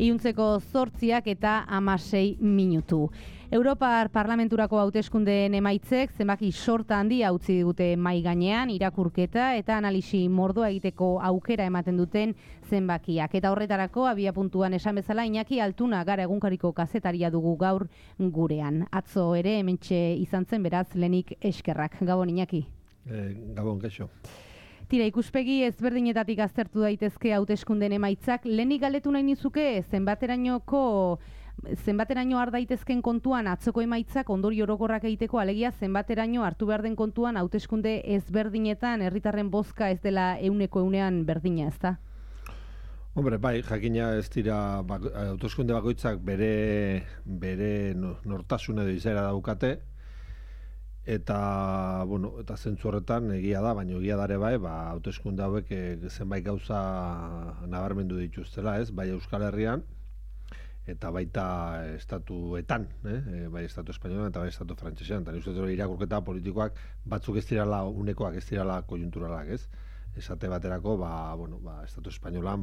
Iluntzeko 8 eta 16 minutu. Europar Parlamenturako hauteskundeen emaitzek zenbaki sorta handia utzi digute mai gainean, irakurketa eta analisi mordoa egiteko aukera ematen duten zenbakiak. Eta horretarako abiapuntuan esan bezala Iñaki Altuna Gara egunkariko kazetaria dugu gaur gurean. Atzo ere hementxe izan zen, beraz lehenik eskerrak. Gabon Iñaki. Gabon keixo. Tira, ikuspegi ezberdinetatik aztertu daitezke hauteskundeen emaitzak. Lehenik galdetu nahi nizuke zenbateraino har daitezken kontuan atzoko emaitzak ondorio orokorrak egiteko, alegia zenbateraino hartu behar den kontuan hauteskunde ezberdinetan herritarren bozka ez dela 100% berdina, ezta? Hombre, bai, jakina ez dira hauteskunde bakoitzak bere nortasuna edo izaera daukate. Eta, eta zentzu horretan egia da, baina egia dare bai, hauteskunde hauek zenbait gauza nabarmendu dituztela, ez? Bai Euskal Herrian, eta baita estatuetan, bai estatu espainolan eta bai estatu frantsesean. Eta uste irakurketa politikoak batzuk ez dirala unekoak, ez dirala kojunturalak, ez? Esate baterako, estatu espainolan,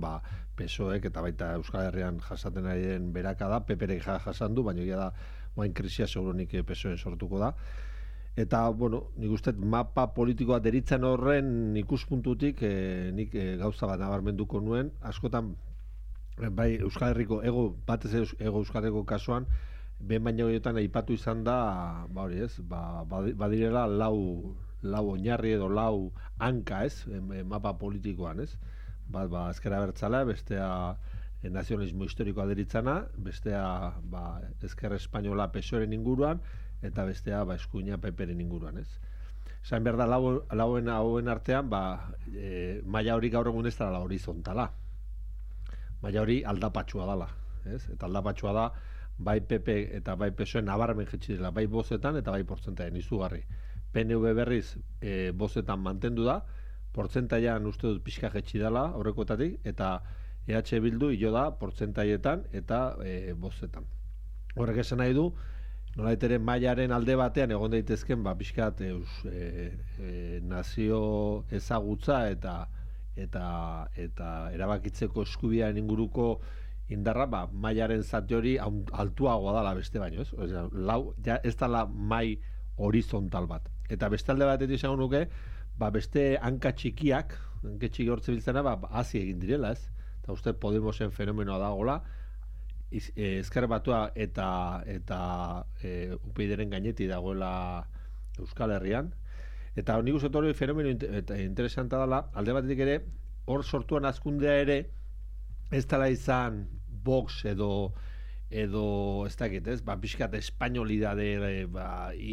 PSOEk eta baita Euskal Herrian jasaten ari den berakada, PP-rek jasan du, baina egia da, oain krisia segurunik PSOE sortuko da. Eta, nik uste mapa politikoa deritzen horren ikuspuntutik nik gauza bat nabarmenduko nuen, askotan bai Euskal Herriko batez ego Euskal Herriko kasuan, behin baina horietan aipatu izan da, badirela lau oinarri edo lau hanka, ez, mapa politikoan, ez? Bat, ezker abertzala, bestea nazionalismo historikoa deritzana, bestea ezker espainola PSOEren inguruan, eta bestea eskuina PP-ren inguruan, ez? Esan behar da, hauen artean, maila hori gaur egun ez dela horizontala. Maila hori aldapatxua dela, ez? Eta aldapatxua da, bai PP eta bai PSOE nabarmen jetxi dela, bai bozetan eta bai portzentaien izugarri. PNV berriz bozetan mantendu da, portzentaian uste dut pixka jetxi dela aurrekoetatik, eta EH Bildu hilo da portzentaietan eta bozetan. Horrek esan nahi du, nolait ere mailaren alde batean egon daitezken pixkat nazio ezagutza eta erabakitzeko eskubidearen inguruko indarra, mailaren zati hori altuagoa dela beste baino, ez? Ez dela mai horizontal bat. Eta beste alde batetik izango nuke, beste hanka txikiak, hanka txiki hortze biltzena, hazi egin direla, ez? Eta uste Podemosen fenomenoa dagoela, Ezker Batua eta UPyDren gaineti dagoela Euskal Herrian. Eta nik uste hori fenomeno interesanta dela, alde batetik ere, hor sortuan hazkundea ere, ez dela izan Vox edo ez dakit, ez? Pixkat espainolidade,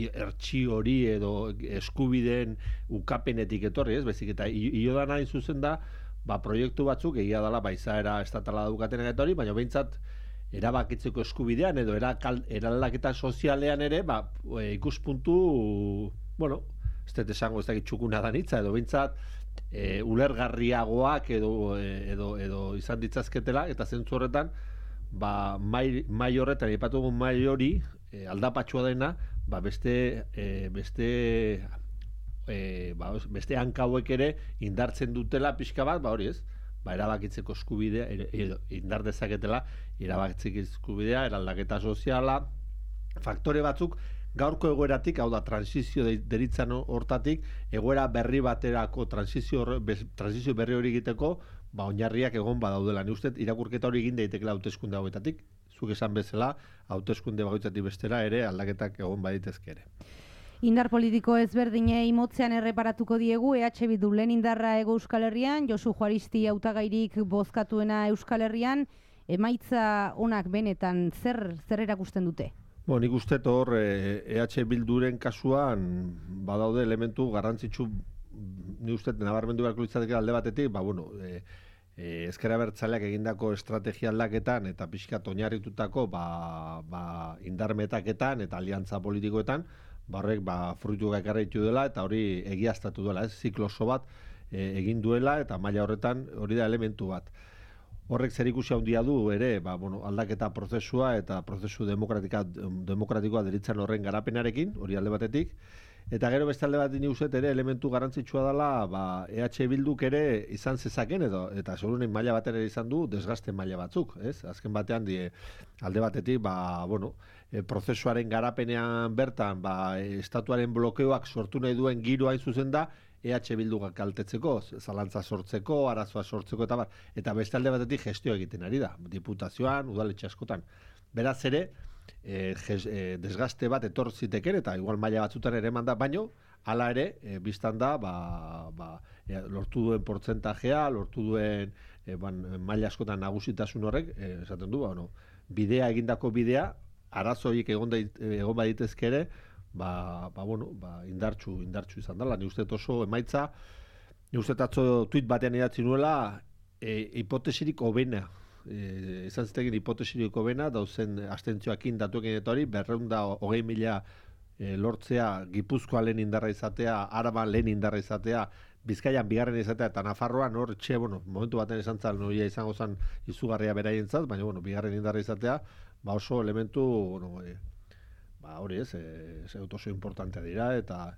ertsi hori edo eskubideen ukapenetik etorri, ez? Bezik eta hilo da nahi zuzen da, proiektu batzuk egia dela izaera estatala daukatenak eta hori, baina behintzat erabakitzeko eskubidean edo eraldaketa sozialean ere, ikuspuntu, ez dut esango ez dakit txukuna da nitza, edo behintzat ulergarriagoak edo izan ditzazketela, eta zentzu horretan, mai horretan, ipatugun mai hori, aldapatxua dena, beste hankauek ere indartzen dutela pixka bat, hori ez, erabakitzeko eskubidea, indar dezaketela, erabakitzeko eskubidea, eraldaketa soziala, faktore batzuk, gaurko egoeratik, hau da, transizio deritzan hortatik, egoera berri baterako, transizio berri hori egiteko, oinarriak egon badaudela. Ni uste, irakurketa hori egin daitekela hauteskunde hauetatik, zuk esan bezala, hauteskunde bakoitzatik bestera ere, aldaketak egon baditezke ere. Indar politiko ezberdinei motzean erreparatuko diegu, EH Bildu lehen indarra Hego Euskal Herrian, Josu Juaristi hautagairik bozkatuena Euskal Herrian, emaitza onak benetan zer erakusten dute? Nik uste hor EH Bilduren kasuan badaude elementu garrantzitsu, ni uste nabarmendu beharko litzateke alde batetik, Ezker Abertzaleak egindako estrategia aldaketan eta pixkat oinarritutako indar metaketan eta aliantza politikoetan, horrek fruituak ekarri ditu dela eta hori egiaztatu dela, ez? Ziklo oso bat egin duela eta maila horretan hori da elementu bat. Horrek zerikusi handia du ere, aldaketa prozesua eta prozesu demokratikoa deritzen horren garapenarekin, hori alde batetik, Eta gero beste alde bat ni uste ere elementu garrantzitsua dela, ba, EH Bilduk ere izan zezaken eta seguruenik maila batera izan du desgaste maila batzuk, ez? Azken batean alde batetik, ba, bueno, prozesuaren garapenean bertan, ba, estatuaren blokeoak sortu nahi duen giro hain zuzen da, EH Bilduk kaltetzeko, zalantza sortzeko, arazoa sortzeko eta bar. Eta beste alde batetik gestioa egiten ari da, diputazioan, udaletxe askotan. Beraz ere, desgaste bat etor ziteken eta igual maila batzutan ere manda, baino hala ere, biztan da lortu duen portzentajea, lortu duen maila askotan nagusitasun horrek, esaten du, bidea egindako bidea, arazoik egon baditezke ere, indartsu izan dela. Ni uste oso emaitza, ni uste atzo tuit batean idatzi nuela, hipotesirik hobena, izan zitekin hipotesirik hobena, dauzen astentzioakin datuekin eta hori, 220.000 lortzea, Gipuzkoa lehen indarra izatea, Araban lehen indarra izatea, Bizkaian bigarren izatea, eta Nafarroan hor, momentu baten esan zan, noia izango zen izugarria beraientzat, baina, bigarren indarra izatea, oso elementu, hori ez, oso importantea dira, eta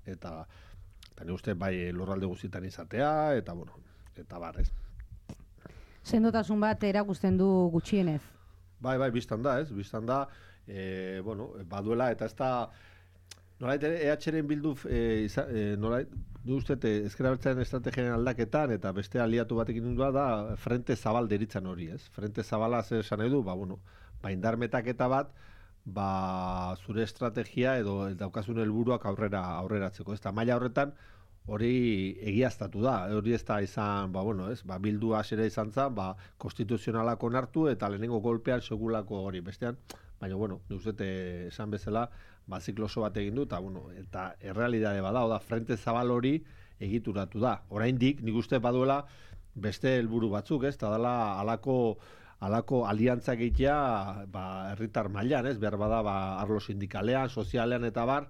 ni uste bai lurralde guztietan izatea, eta bar, ez. Sendotasun bat erakusten du gutxienez. Bai, biztan da, ez? Biztan da, baduela, eta ez da, nolait, EH-ren bildu, nolait, du uste, ezker abertzaren estrategiaren aldaketan, eta beste aliatu batekin nindua da, frente zabal deritzan hori, ez? Frente zabala zer esan edu, indar metaketa bat, zure estrategia edo daukazun helburuak aurreratzeko. Ez da, maila horretan, hori egiaztatu da, hori ez da izan, bildu hasera izan zen, konstituzionalak onartu eta lehenengo golpean segulako hori bestean, baina, nik uste esan bezala, zikloso bat egin du, eta errealidade bada, frente zabal hori egituratu da. Oraindik, nik uste baduela beste helburu batzuk, ez, eta dela halako aliantzak egitea herritar mailan, ez, behar bada, arlo sindikalean, sozialean eta bar,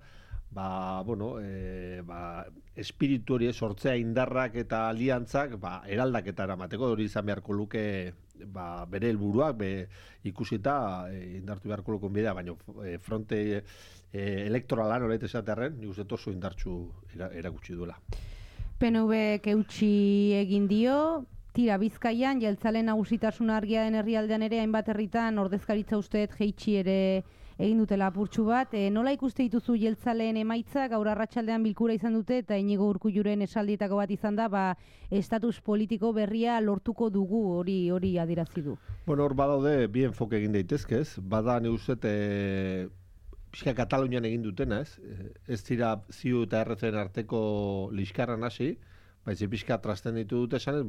espiritu hori sortzea indarrak eta aliantzak eraldaketa eramateko, hori izan beharko luke bere helburuak ikusita indartu beharko lukun bidea, baina fronte elektoralan horret esatearen, nik uste oso indartsu erakutsi duela. PNV eutsi egin dio, tira Bizkaian, jeltzale nagusitasun argia den herrialdean ere, hainbat herritan ordezkaritza usteet jeitsi ere egin dutela apurtxu bat. Nola ikuste dituzu jeltzaleen emaitza, gaur arratsaldean bilkura izan dute, eta Iñigo Urkulluren esaldietako bat izan da, estatus politiko berria lortuko dugu, hori adierazi du. Hor badaude, bi enfoke egin daitezke, ez? Bada ni uste pixka Katalunian egin dutena, ez? Ez dira ziu eta erretzen arteko liskarran hasi, baizik pixka trasten ditu dute esan ez,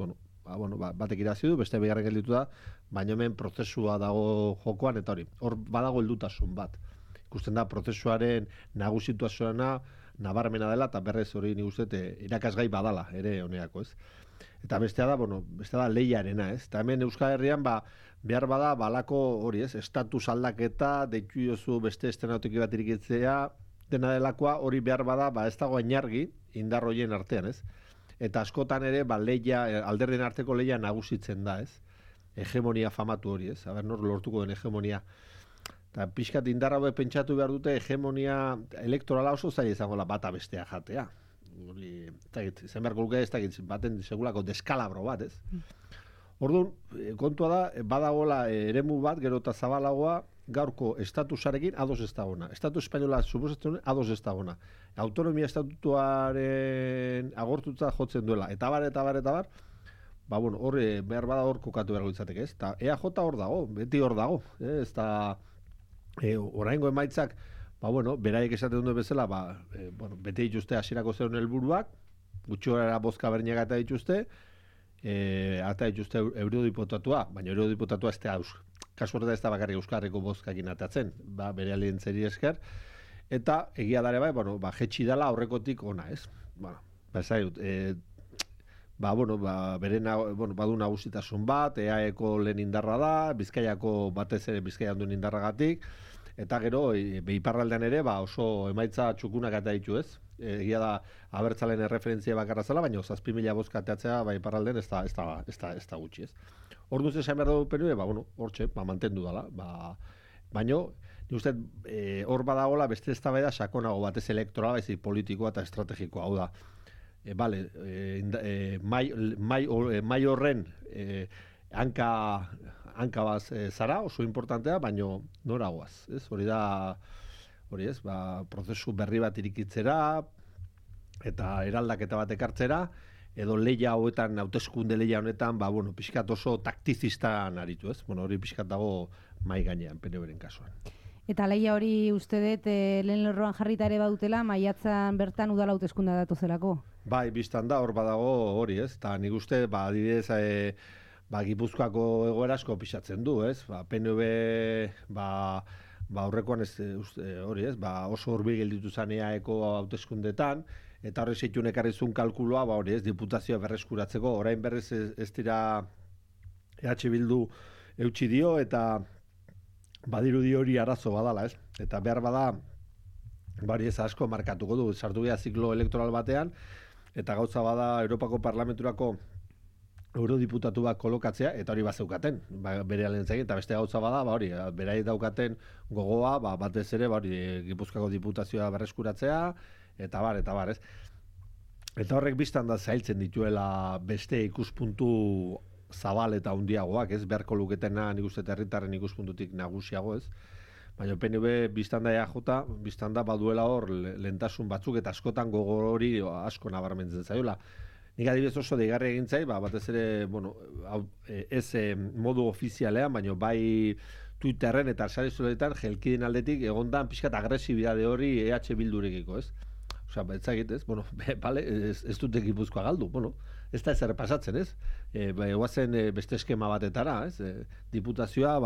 batek irazi du, beste bigarren gelditu da, baina hemen prozesua dago jokoan, eta hor badago heldutasun bat. Ikusten da, prozesuaren nagusituazioana nabarmena dela, eta berrez hori nik uste irakasgai badala, ere honeako, ez. Eta bestea da lehiarena, ez. Eta hemen Euskal Herrian, behar bada, balako hori, ez, estatus aldaketa, deitu jozu beste estenatiki bat irikitzea, dena delakoa, hori behar bada, ez dago ainargi, indarroien artean, ez. Eta askotan ere, alderdien arteko lehia nagusitzen da, ez? Hegemonia famatu hori, ez? Nor lortuko den hegemonia. Eta pixkat indarra hori pentsatu behar dute, hegemonia elektorala oso zaila izango bata bestea jatea. Izan beharko luke ez dakit, baten segulako deskalabro bat, ez? Orduan, kontua da, badagoela eremu bat, gero eta zabalagoa, gaurko estatusarekin ados ez dagona. Estatu espainola suposatzen ados ez dagona. Autonomia estatutuaren agortutza jotzen duela. Eta bar, hor behar bada hor kokatu beharko izateke, ez? Eta EAJ hor dago, beti hor dago. Ez da, oraingo emaitzak, beraiek esaten duen bezala, bete dituzte hasierako zeuden helburuak, gutxi horara bozka berniak eta dituzte, eta dituzte eurodiputatua, baina eurodiputatua ez da kasu horretan ez da bakarrik Euskarriko bozkakin atatzen, bere alientzeri esker, eta egia dare jetxi dela aurrekotik ona, ez? Badu nagusitasun bat, EAeko lehen indarra da, Bizkaiako batez ere Bizkaian duen indarragatik, eta gero, iparraldean ere, oso emaitza txukunak eta ditu, ez? Egia da, abertzalen erreferentzia bakarra zela, baina 7.000 bozka ateatzea iparraldean ez da gutxi, ez? Orduan esan behar dugu PNV, hortxe, mantendu dela. Baina, uste, hor badagola beste eztabaida sakonago batez elektorala, baizik politikoa eta estrategikoa, hau da. Mai horren hanka baz zara, oso importantea, baino noragoaz, ez? Hori ez, prozesu berri bat irikitzera, eta eraldaketa bat ekartzera, edo leia hauetan, hauteskunde leia honetan, pixkat oso taktizistan aritu, ez? Hori pixkat dago mai gainean, PNV-ren kasuan. Eta leia hori uste dut lehen lerroan jarrita ere badutela, maiatzan bertan udala hauteskundea datozelako? Bai, biztan da, hor badago hori, ez? Eta nik uste, adibidez, Gipuzkoako egoera asko pixatzen du, ez? PNV, aurrekoan hori, ez? Oso hurbil gelditu zaneaeko hauteskundetan, eta horre zeitun ekarrizun kalkuloa, hori, ez? Diputazioa berreskuratzeko, orain berrez ez dira EH Bildu eutxi dio, eta badirudi hori arazo badala, ez? Eta behar bada, ez asko markatuko du, sartu geha ziklo elektoral batean, eta gauza bada Europako Parlamenturako eurodiputatu bat kolokatzea, eta hori bazeukaten, bere alentzegin, eta beste gauza bada, hori, berai daukaten gogoa, batez ere, Gipuzkoako diputazioa berreskuratzea, eta bar, ez? Eta horrek biztan da zailtzen dituela beste ikuspuntu zabal eta handiagoak, ez? Beharko luketena, nik uste herritarren ikuspuntutik nagusiago, ez? Baina PNV biztan da EAJ, biztan da baduela hor lehentasun batzuk, eta askotan gogo hori asko nabarmentzen zaiola. Nik adibidez oso deigarri egin zai, batez ere, ez modu ofizialean, baina bai Twitterren eta sare sozialetan jelkiden aldetik egondan pixkat agresibidade hori EH Bildurekiko, ez? Osea, etzagit, ez? Ez dute Gipuzkoa galdu, ez da ezer pasatzen, ez? Egoazen beste eskema batetara, ez? Diputazioa,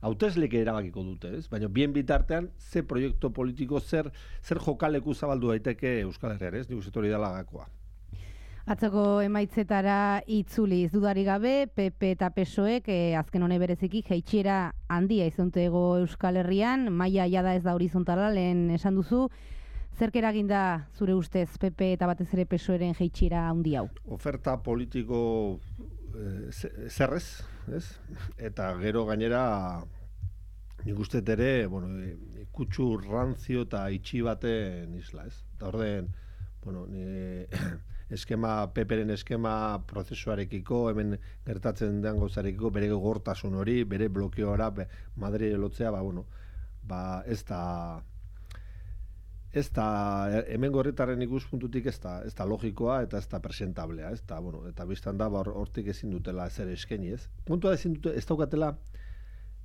hautesleek erabakiko dute, ez? Baina bien bitartean, ze proiektu politiko, zer jokaleku zabaldu daiteke Euskal Herrian, ez? Nik uste hori dela gakoa. Atzoko emaitzetara itzuliz dudari gabe, PP eta PSOEk azken hone bereziki jaitsiera handia izuntego Euskal Herrian, maila jada ez da horizontala, lehen esan duzu. Zerk eraginda zure ustez PP eta batez ere PSOEren jaitsiera handi hau? Oferta politiko zerrez, ez? Eta gero gainera nik uste ere, kutsu ranzio eta itxi baten isla, ez? Eta orden, PPren eskema prozesuarekiko, hemen gertatzen den gauzarekiko, bere gortasun hori, bere blokeoara, Madrid lotzea, ez da hemen gorritarren ikuspuntutik ez da logikoa eta ez da presentablea, ez da, eta biztan da hortik ezin dutela ezer eskaini, ez? Puntua ezin dute, ez daukatela,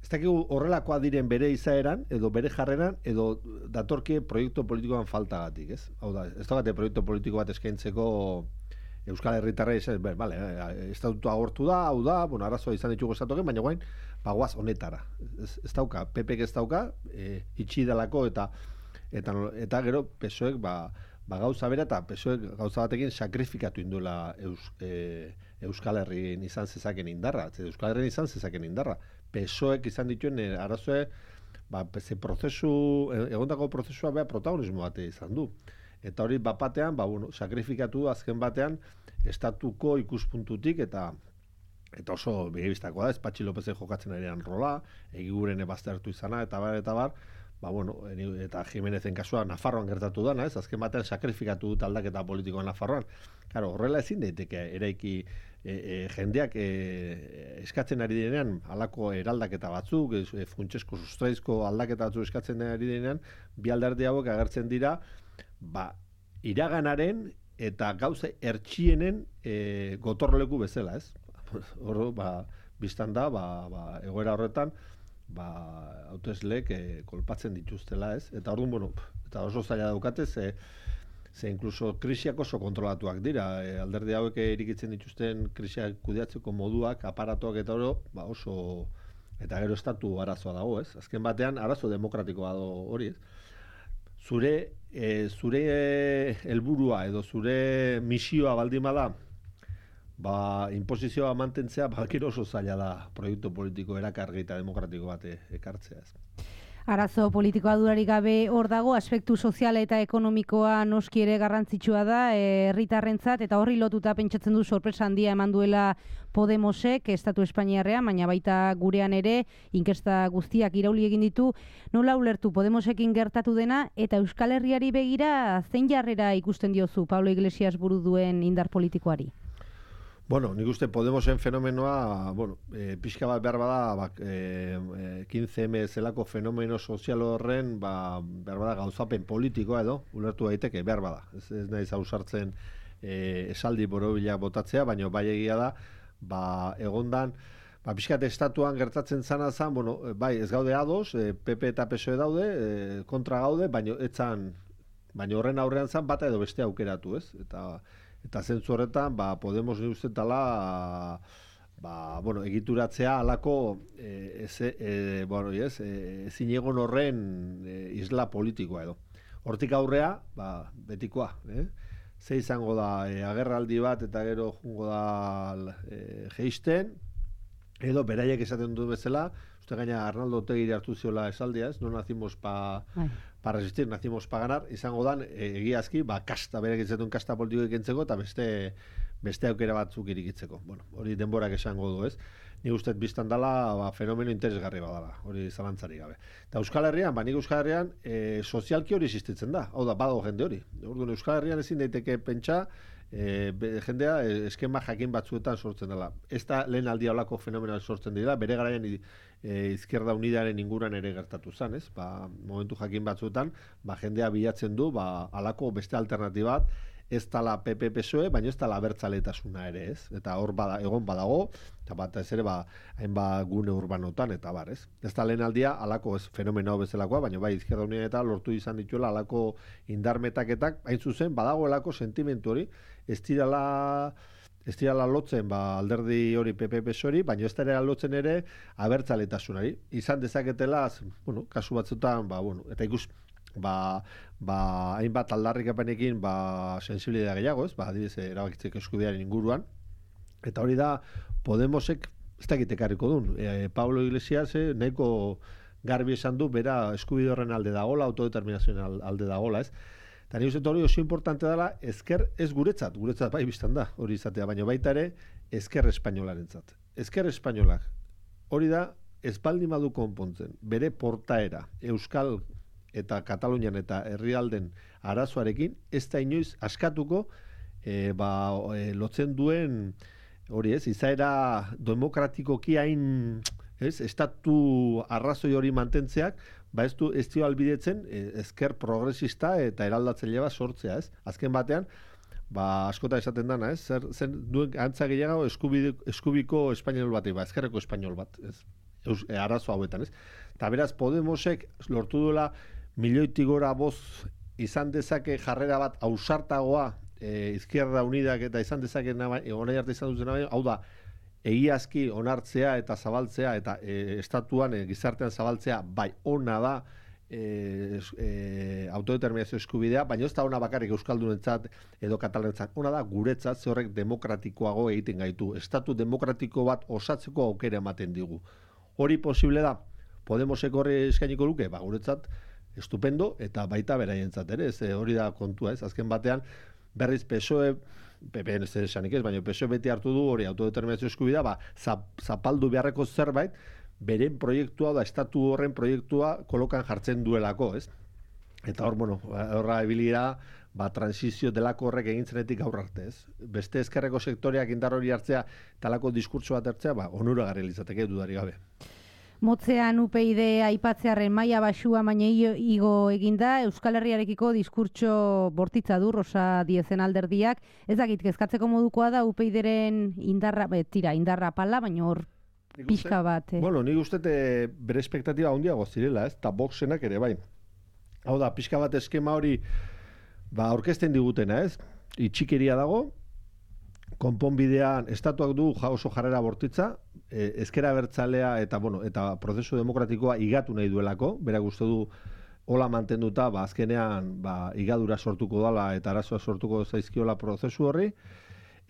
ez dakigu horrelakoa diren bere izaeran, edo bere jarreran, edo datorki proiektu politikoan faltagatik, ez? Hau da, ez daukate proiektu politiko bat eskaintzeko Euskal Herritarra estatutua agortu da, hau da, arazoa izan ditugu estatuak, baina guain, guaz honetara. Ez dauka, PPek ez dauka, itxi delako eta gero PSOEk gauza bera eta PSOEk gauza batekin sakrifikatu induela Euskal Herrin izan zezaken indarra. Euskal Herrin izan zezaken indarra. PSOEk izan dituen arazoe, egondako prozesua beha protagonismo bate izan du. Eta hori batean, sakrifikatu azken batean, estatuko ikuspuntutik eta oso begibistakoa da, ez Patxi Lopezen jokatzen arian rola, egiguren ebaztertu izana, eta bar, eta Jimenezen kasua Nafarroan gertatu dana, ez? Azken batean sakrifikatu dut aldaketa politikoa Nafarroan. Claro, horrela ezin daiteke eraiki jendeak eskatzen ari direnean halako eraldaketa batzuk, funtsesko sustraizko aldaketa batzuk eskatzen ari direnean, bi alderdi hauek agertzen dira, iraganaren eta gauza ertxienen gotorleku bezala, ez? Hor, biztan da, egoera horretan, hautesleek kolpatzen dituztela, ez? Eta orduan, eta oso zaila daukate, ze inkluso krisiak oso kontrolatuak dira. Alderdi hauek irikitzen dituzten krisiak kudeatzeko moduak, aparatuak eta oso, eta gero estatu arazoa dago, ez? Azken batean, arazo demokratikoa dago hori, ez? Zure helburua edo zure misioa baldin bada, inposizioa mantentzea, gero oso zaila da proiektu politiko erakargi eta demokratiko bat ekartzea, ez? Arazo politikoa durarik gabe hor dago, aspektu soziala eta ekonomikoa noski ere garrantzitsua da herritarrentzat, eta horri lotuta pentsatzen du sorpresa handia eman duela Podemosek Estatu Espainiarrean, baina baita gurean ere inkesta guztiak irauli egin ditu. Nola ulertu Podemosekin gertatu dena eta Euskal Herriari begira zein jarrera ikusten diozu Pablo Iglesias buru duen indar politikoari? Bueno, nik uste Podemosen fenomenoa, pixka bat behar bada, 15M zelako fenomeno sozial horren, behar bada gauzapen politikoa edo, ulertu daiteke, behar bada. Ez naiz ausartzen esaldi borobilak botatzea, baina bai egia da, egondan, pixkat estatuan gertatzen zana zan, bai, ez gaude ados, PP eta PSOE daude, kontra gaude, baina horren aurrean zan bata edo beste aukeratu, ez? Eta zentzu horretan, Podemos ni ustetala, egituratzea alako ezin egon horren isla politikoa edo. Hortik aurrea, betikoa, ze izango da agerraldi bat eta gero jungo da geisten, edo beraiek esaten du bezala, uste gaina Arnaldo Otegiri hartu ziola esaldia, ez? No nacimos para resistir, nacimos para ganar, izango dan, egiazki, kasta, berek izetuen kasta politiko ikentzeko, eta beste aukera batzuk irikitzeko. Bueno, hori denborak esango du, ez? Ni ustez biztan dela, fenomeno interesgarri badala, hori zalantzari gabe. Eta Euskal Herrian, nik Euskal Herrian, sozialki hori existitzen da, hau da, badago jende hori. Orduan, Euskal Herrian ezin daiteke pentsa, jendea eskema jakin batzuetan sortzen dela. Ez da lehen aldia olako fenomenoa sortzen dira, bere garaian Izquierda Unidaren inguran ere gertatu zen, ez? Momentu jakin batzuetan, jendea bilatzen du, alako beste alternatibat, ez tala PP-PSOE, baina ez tala abertzaletasuna ere, ez? Eta hor egon badago, eta bat ez ere, hainbat gune urbanotan, eta bar, ez? Ez da lehen aldia, alako fenomeno bezalakoa, baina bai, Izquierda Unida eta lortu izan dituela alako indarmetaketak, hain zuzen, badagoelako sentimentu hori, ez dirala lotzen alderdi hori PP-PSOE, baina ez dira lotzen ere abertzaletasunari. Izan dezaketela, kasu batzutan, eta ikus, hainbat aldarrikapenekin sensibilidad gehiago, ez? Adibidez, erabakitzeko eskubidearen inguruan. Eta hori da, Podemosek ez dakit ekarriko duen. Pablo Iglesias nahiko garbi esan du, bera eskubide horren alde dagola, autodeterminazioen alde dagola, ez? Eta nik uste hori oso importante dela, ezker ez guretzat bai biztan da, hori izatea, baina baita ere, ezker espainolarentzat. Ezker espainolak, hori da, ez baldin badu konpontzen, bere portaera, Euskal eta Katalunian eta herrialden arazoarekin, ez da inoiz askatuko, lotzen duen, hori ez, izaera demokratikoki hain, estatu arrazoi hori mantentzeak, ez dio albidetzen ezker progresista eta eraldatzaile bat sortzea, ez? Azken batean, askota esaten dana, ez? Zer duen antza gehiago eskubiko espainol bat, ezkerreko espainol bat, ez? Arazo hauetan, ez? Eta beraz, Podemosek lortu duela milioitik gora boz izan dezake jarrera bat ausartagoa Izquierda Unidak eta izan dezake onai arte izan duzen hau da, egiazki onartzea eta zabaltzea eta estatuan gizartean zabaltzea bai ona da autodeterminazio eskubidea, baina ez da ona bakarrik euskaldunentzat edo katalanentzat, ona da guretzat, ze horrek demokratikoago egiten gaitu. Estatu demokratiko bat osatzeko aukera ematen digu. Hori posible da? Podemosek horri eskainiko luke? Guretzat estupendo eta baita beraientzat ere, hori da kontua, ez? Azken batean berriz PSOE, PP ez esanik ez, baina PSOE beti hartu du hori autodeterminazio eskubidea, zapaldu beharreko zerbait, beren proiektua da, estatu horren proiektua kolokan jartzen duelako, ez? Eta hor, horra ebilira, transizio delako horrek egin zenetik gaur arte, ez? Beste ezkerreko sektoreak indar hori hartzea, talako diskurtso bat hartzea, onuragarri litzateke dudari gabe. Motzean UPyD aipatzearen maila baxua baina igo eginda, Euskal Herriarekiko diskurtso bortitza du Rosa Diezen alderdiak. Ez dakit, kezkatzeko modukoa da UPyDren indarra pala, baina hor pixka bat. Nik uste bere espektatiba handiago zirela, ez? Ta Voxenak ere bai. Hau da, pixka bat eskema hori aurkezten digutena, ez? Itxikeria dago, konponbidean estatuak du oso jarrera bortitza, ezkera abertzalea eta prozesu demokratikoa igatu nahi duelako, berak uste du hola mantenduta, azkenean igadura sortuko dala eta arazoa sortuko zaizkiola prozesu horri,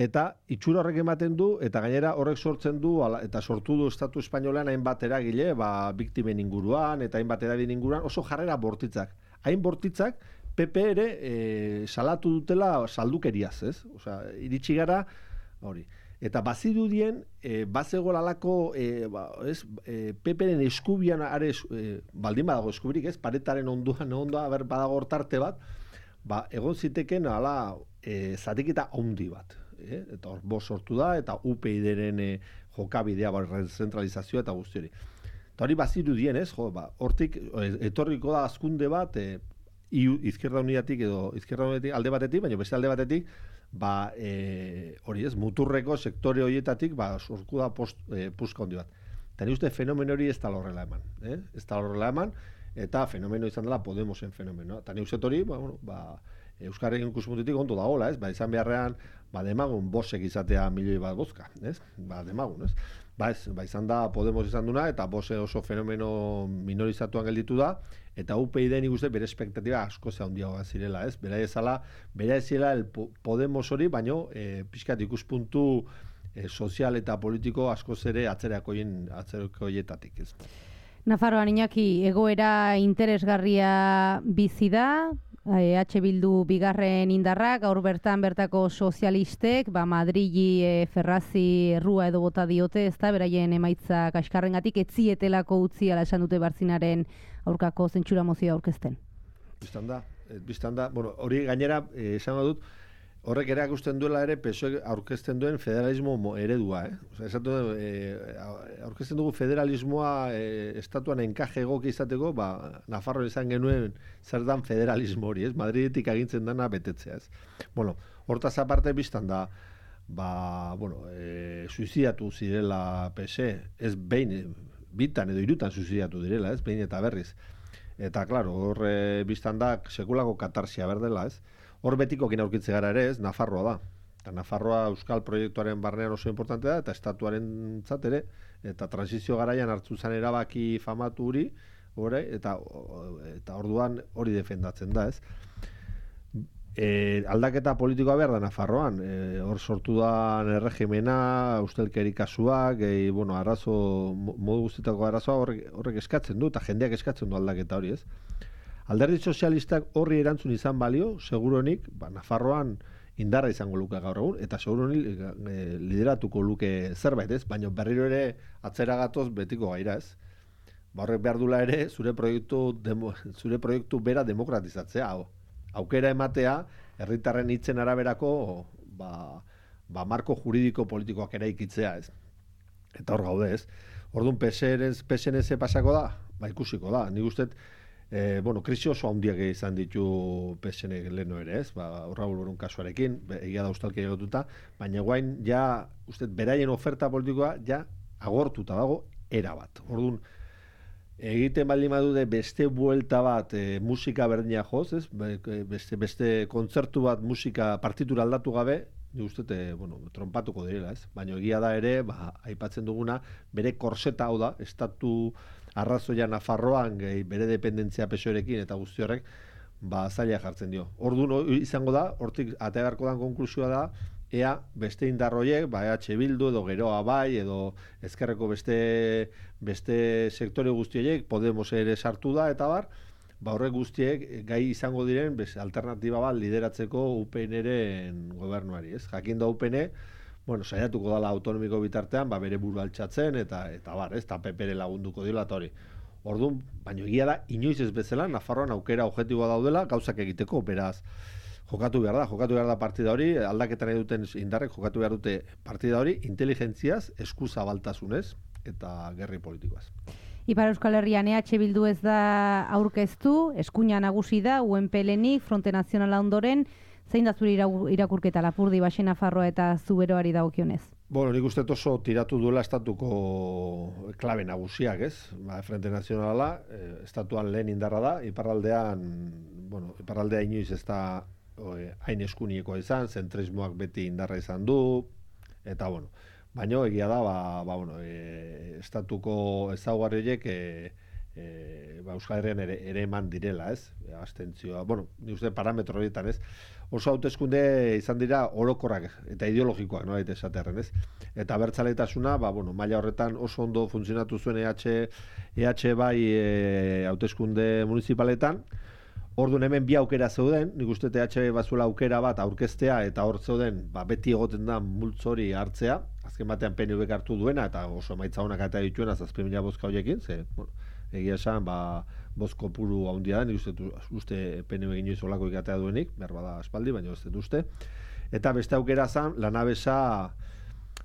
Eta itxura horrek ematen du, eta gainera horrek sortzen du, eta sortu du Estatu Espainolean hainbat eragile, biktimen inguruan, eta hainbat erabin inguruan, oso jarrera bortitzak. Hain bortitzak, PP ere salatu dutela saldukeriaz, ez? Osea, iritsi gara, hori. Eta bazirudien, bazego lalako, PP-ren eskubian, baldin badago eskubirik, ez? Paretaren ondoan, badago hortarte bat, egon ziteken, zatiketa handi bat. Eta hor bost sortu da, eta UPyD-ren jokabidea, zentralizazioa eta guzti hori. Eta hori bazirudien, ez? Hortik, etorriko da azkunde bat, Izquierda Unidatik edo Izquierda Unidatik alde batetik, baina beste alde batetik, hori ez, muturreko sektore horietatik, sorku da puska handi bat. Eta ni uste fenomeno hori ez da horrela eman. Ez da horrela eman, eta fenomeno izan dela Podemosen fenomeno. Eta ni uste hori, Euskarrekin ikuspuntutik ondo dagoela, ez? Izan beharrean, demagun bosek izatea milioi bat bozka, ez? Demagun, ez? Izan da Podemos izan duna, eta bose oso fenomeno minorizatuan gelditu da, eta UPyD nik uste bere espektatiba asko handiagoa zirela, ez? Bera ez zirela Podemos hori, baino pixkat ikuspuntu sozial eta politiko asko ere atzerakoietatik, ez? Nafarroan, Iñaki, egoera interesgarria bizi da, Bildu bigarren indarrak, gaur bertako sozialistek, Madrili Ferrazi errua edo bota diote, ez da, beraien emaitza kaskarrengatik, etzietelako utzi ala esan dute Bartzinaren aurkako zentsura mozioa aurkezten. Bistan da, hori gainera, esango dut, horrek erakusten duela ere PSOE aurkezten duen federalismo eredua, aurkezten dugu federalismoa estatuan enkaje egoki izateko, Nafarroan izan genuen zer dan federalismo hori, ez? Madridetik agintzen dana betetzea, ez? Hortaz aparte biztan da, suizidatu zirela PSE, ez bitan edo hirutan suizidatu direla, ez? Behin eta berriz. Eta, klaro, hor biztan da sekulako katarsia berdela, ez? Hor betikokin aurkitze gara ere, ez, Nafarroa da. Eta Nafarroa euskal proiektuaren barnean oso importante da, eta estatuaren ere, eta transizio garaian hartu zen erabaki famatu hori, eta orduan hori defendatzen da, ez. Aldaketa politikoa behar da Nafarroan, hor sortu da erregimena, ustelkeri kasuak, modu guztietako arazoa horrek eskatzen du, eta jendeak eskatzen du aldaketa hori, ez. Alderdi sozialistak horri erantzun izan balio, seguronik, Nafarroan indarra izango luke gaur egun, eta seguronik lideratuko luke zerbait, ez? Baina berriro ere atzera gatoz betiko gaira, ez? Horrek behar dula ere, zure proiektu bera demokratizatzea, aukera ematea, herritarren hitzen araberako, marko juridiko politikoak eraikitzea, ez? Eta hor gaude, ez? Orduan PSNS pasako da? Ikusiko da, nik usteet, krisi oso handiak izan ditu PSN leheno ere, ez? Raul Borun kasuarekin, egia da ustalkia egotuta, baina guain, beraien oferta politikoa, agortuta dago, erabat. Orduan, egiten baldin badude beste buelta bat musika berdina joz, ez? Beste kontzertu bat musika partitura aldatu gabe, nik uste, trompatuko direla, ez? Baina egia da ere, aipatzen duguna, bere korseta hau da, estatu arrazoia Nafarroan bere dependentzia PSOErekin eta guzti horrek zaila jartzen dio. Orduan izango da, hortik atea beharko dan konklusioa da, ea beste indarroiek, Bildu edo Geroa bai, edo ezkerreko beste sektore guztiek, Podemos ere sartu da, eta horrek guztiek gai izango diren alternatiba bat lideratzeko UPN-ren gobernuari, ez? Jakin da UPN, saiatuko dala autonomiko bitartean, bere buru altxatzen, eta PP-re lagunduko dira, eta hori. Orduan, baina egia da, inoiz ez bezala, Nafarroan aukera objektiboa daudela, gauzak egiteko, beraz, jokatu behar da partida hori, aldaketan nahi duten indarrek jokatu behar dute partida hori, inteligentziaz, eskuzabaltasunez, eta gerri politikoaz. Ipar Euskal Herrian Bildu ez da aurkeztu, eskuina nagusi da, UNPLenik, Fronte Nazionala ondoren, zein da zure irakurketa Lapurdi, Baxe Nafarroa eta Zuberoari dagokionez? Nik uste oso tiratu duela estatuko klabe nagusiak, ez? Frente Nazionala, estatuan lehen indarra da, iparraldea inoiz ez da hain eskuniekoa izan, zentrismoak beti indarra izan du, eta baina egia da, estatuko ezaugarri horiek Euskal Herrian ere eman direla, ez? Abstentzioa, bueno, ni uste parametro horietan, ez? Oso hauteskunde izan dira orokorrak eta ideologikoak, no daite esaterren, ez? Eta abertzaletasuna, maila horretan oso ondo funtzionatu zuen EH bai hauteskunde municipaletan. Orduan hemen bi aukera zeuden, nik uste EH bazuela aukera bat aurkeztea eta hor zeuden, beti egoten da multzo hori hartzea, azken batean PNV hartu duena eta oso emaitza honak eta dituena 7.000 bozka horiekin, ze, egia esan, bozko puru handia da, nik uste PNV inoiz olako ikatea duenik, behar bada espaldi, baina ez dut uste. Eta beste aukera zen, lanabesa,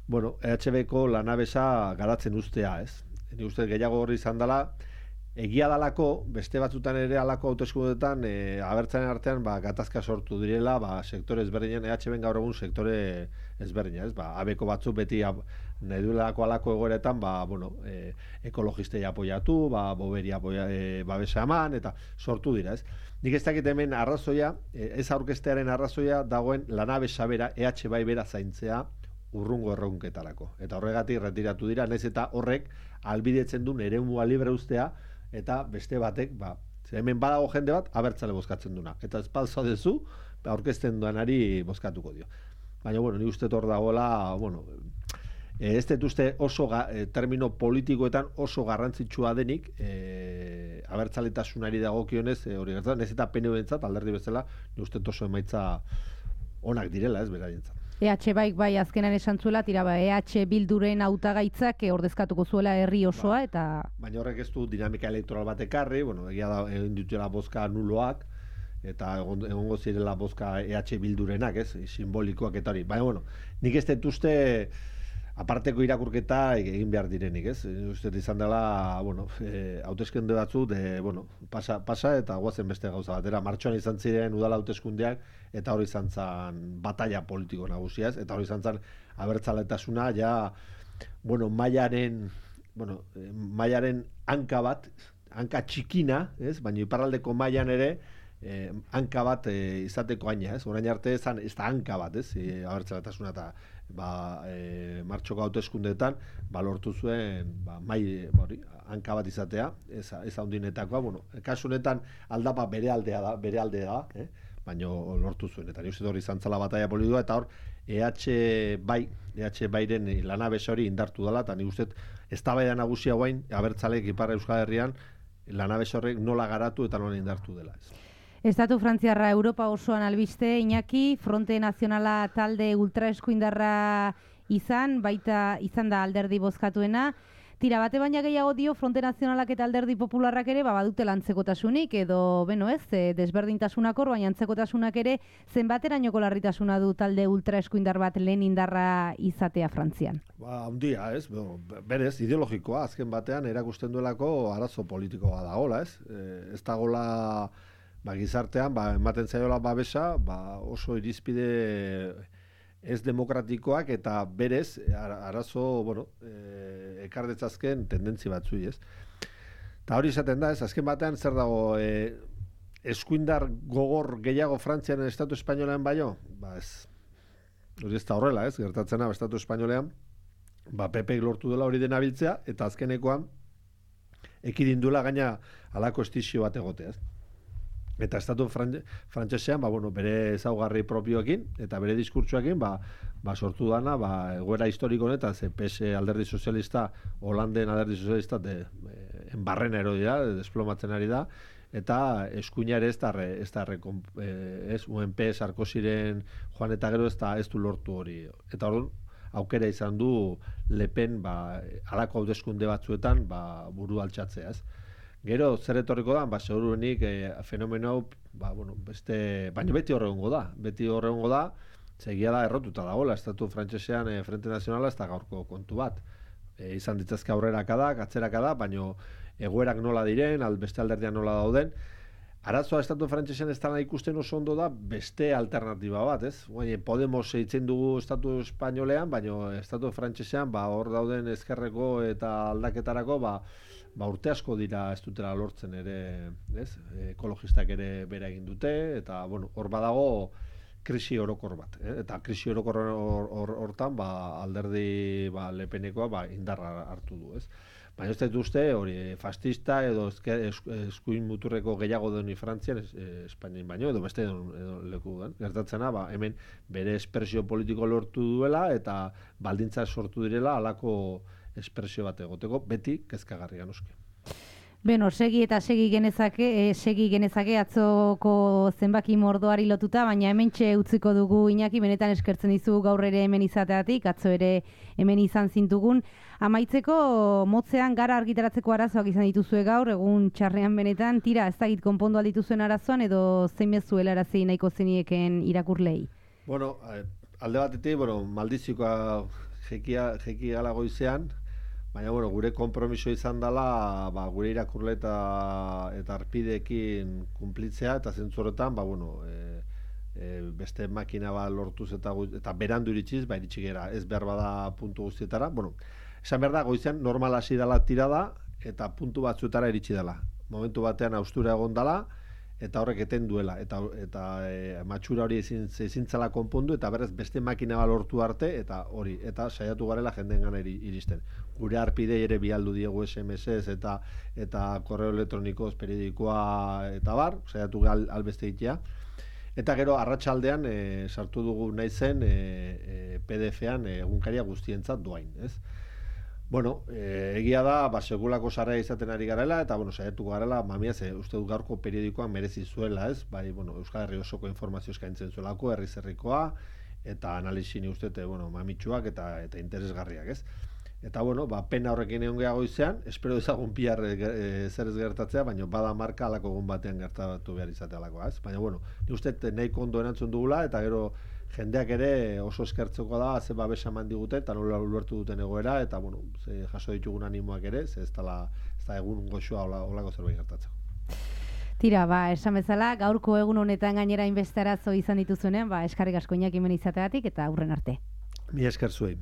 EHB-ko lanabesa garatzen ustea, ez? Nik uste gehiago horri izan dela, egia dalako, beste batzutan ere alako hauteskundeetan abertzaren artean gatazka sortu direla, sektore ezberdinen, EHB-en gaur egun sektore ezberdina, ez? Abeko batzuk beti nahi duelako alako egoeretan, ekologistei apoiatu, boberi babesa eman, eta sortu dira, ez? Nik ez dakit hemen arrazoia, ez aurkestearen arrazoia dagoen lanabesa bera, EH bai bera zaintzea urrungo erronketarako. Eta horregatik retiratu dira, naiz eta horrek albidetzen duen eremua libre ustea, eta beste batek, hemen badago jende bat, abertzale bozkatzen duna. Eta espalza dezu, aurkezten duanari bozkatuko dio. Baina, ni uste hor dagoela, ez dut uste oso, termino politikoetan oso garrantzitsua denik, abertzaletasunari dagokionez, hori gertzen, ez eta PNV-entzat, alderdi bezala, ni uste oso emaitza onak direla, ez beraientzat. EH bai azkenan esan zuela, EH Bilduren hautagaitzak ordezkatuko zuela herri osoa, eta... Baina horrek ez du dinamika elektoral bat ekarri, egia da, egin dutela bozka nuloak, eta egongo zirela bozka EH Bildurenak, ez, simbolikoak eta hori. Baina, nik ez dut uste aparteko irakurketa egin behar direnik, ez? Uste izan dela, hauteskunde batzu, pasa eta guazen beste gauza batera. Martxoan izan ziren udala hauteskundeak, eta hori izan zen batalla politiko nagusia, ez? Eta hori izan zen abertzaletasuna, mailaren hanka bat, hanka txikina, ez? Baina iparraldeko mailan ere, hanka bat izateko aina, ez? Orain arte ez da hanka bat, ez? Abertzaletasuna eta martxoko hauteskundeetan lortu zuen hanka bat izatea, ez handinetakoa, kasu honetan aldapa bere aldea da, baina lortu zuen, eta uste hori izan zela batalla politikoa, eta hor EH bairen lanabesa hori indartu dela, eta nik uste eztabaida nagusia guain, abertzaleek Ipar Euskal Herrian lanabesa horrek nola garatu eta nola indartu dela. Estatu frantziarra Europa osoan albiste, Iñaki, Fronte Nazionala talde ultraeskuindarra izan da alderdi bozkatuena. Tira, bate baina gehiago dio Fronte Nazionalak eta alderdi popularrak ere badute lantzekotasunik, edo, desberdintasunak hor, baina antzekotasunak ere zenbaterainoko larritasuna du talde ultraeskuindar bat lehen indarra izatea Frantzian? Handia, ez? Berez, ideologikoa, azken batean erakusten duelako arazo politikoa dagoela, ez? Ez dagoela gizartean, ematen zaiola babesa, oso irizpide ez demokratikoak eta berez arazo, ekardetzazken tendentzi batzui, ez? Eta hori izaten da, ez? Azken batean zer dago, eskuindar gogor gehiago Frantzian Estatu Espainolean baino? Ez. Hori ez da horrela, ez? Gertatzena Estatu Espainolean, PP lortu dela hori dena biltzea, eta azkenekoan ekidindula gaina halako estizio bat egotea, ez? Eta estatu frantsesean, bere ezaugarri propioekin eta bere diskurtsoekin, sortu dana, egoera historiko honetan, ze PS alderdi sozialista, Holanden alderdi sozialista, enbarren erodi da, desplomatzen ari da, eta eskuina ere ez UNP, Sarkoziren joan eta gero ez du lortu hori. Eta orduan, aukera izan du Le Pen, halako hauteskunde batzuetan, buru altxatzea, ez? Gero, zer etorriko da, seguruenik fenomeno, baina beti horregongo da, segia da errotuta dagoela, estatu frantsesean Frente Nazionala ez da gaurko kontu bat. Izan ditzazke aurrerakadak, atzerakadak, baina egoerak nola diren, beste alderdian nola dauden. Arazoa estatu frantsesean ez dena ikusten oso ondo da beste alternatiba bat, ez? Podemos eitzen dugu estatu espainolean, baina estatu frantsesean hor dauden ezkerreko eta aldaketarako, urte asko dira ez dutela lortzen ere, ez? Ekologistak ere bera egin dute, eta hor badago krisi orokor bat. Eta krisi orokor hortan alderdi Lepenekoa indarra hartu du, ez? Baina ez dut uste, hori, fascista edo eskuin muturreko gehiago deni Frantzian, Espainian baino, edo beste edo leku den. Gertatzena, hemen bere espresio politiko lortu duela eta baldintza sortu direla halako espresio bat egoteko, beti kezkagarria noski. Beno, segi genezake atzoko zenbaki mordoari lotuta, baina hementxe utziko dugu Iñaki, benetan eskertzen dizu gaur ere hemen izateatik, atzo ere hemen izan zintugun. Amaitzeko, motzean gara argitaratzeko arazoak izan dituzue gaur, egun txarrean benetan, tira, ez dakit konpondu aldituzuen arazoan, edo zein mezuela arazi nahiko zenieken irakurlei? Bueno, alde batetik, maldizikoa jeki gala goizean, baina, gure konpromiso izan dela, gure irakurle eta arpideekin kumplitzea, eta zentzu horretan, beste makina lortuz eta berandu iritsiz, iritsi gera, ez behar bada puntu guztietara. Esan behar da, goizean normal hasi dela tirada, eta puntu batzuetara iritsi dela. Momentu batean austura egon dela, eta horrek eten duela, eta matxura hori ezintzala konpondu, eta berez beste makina lortu arte, eta saiatu garela jendeen gana iristen. Gure arpidei ere bialdu diegu SMS-ez eta korreo elektronikoz, periodikoa eta saiatu albeste egitea. Eta gero, arratsaldean sartu dugu nahi zen PDF-an egunkaria guztientzat doain, ez? Egia da, sekulako sarrera izaten ari garela, eta, saiatuko garela, uste du gaurko periodikoan merezi zuela, ez? Euskal Herri osoko informazio eskaintzen zuelako, herri-zerrikoa, eta analizini ustete, mamitsuak eta interesgarriak, ez? Eta, pena horrekin egon gehiago izan, espero ezagun piar zer ez gertatzea, baina bada marka alako egun batean gertatu behar izatea alakoa, ez? Baina, ni uste nahi kondo erantzun dugula, eta gero jendeak ere oso eskertzeko da, ze babesa eman digute, eta nola ulertu duten egoera, eta, jaso ditugun animoak ere, ze ez da egun goxoa olako zerbait gertatzeko. Tira, esan bezala, gaurko egun honetan gainera inbeste arazo izan dituzuenean, eskarrik asko Iñaki hemen izateagatik, eta aurren arte. Mi esker zuei.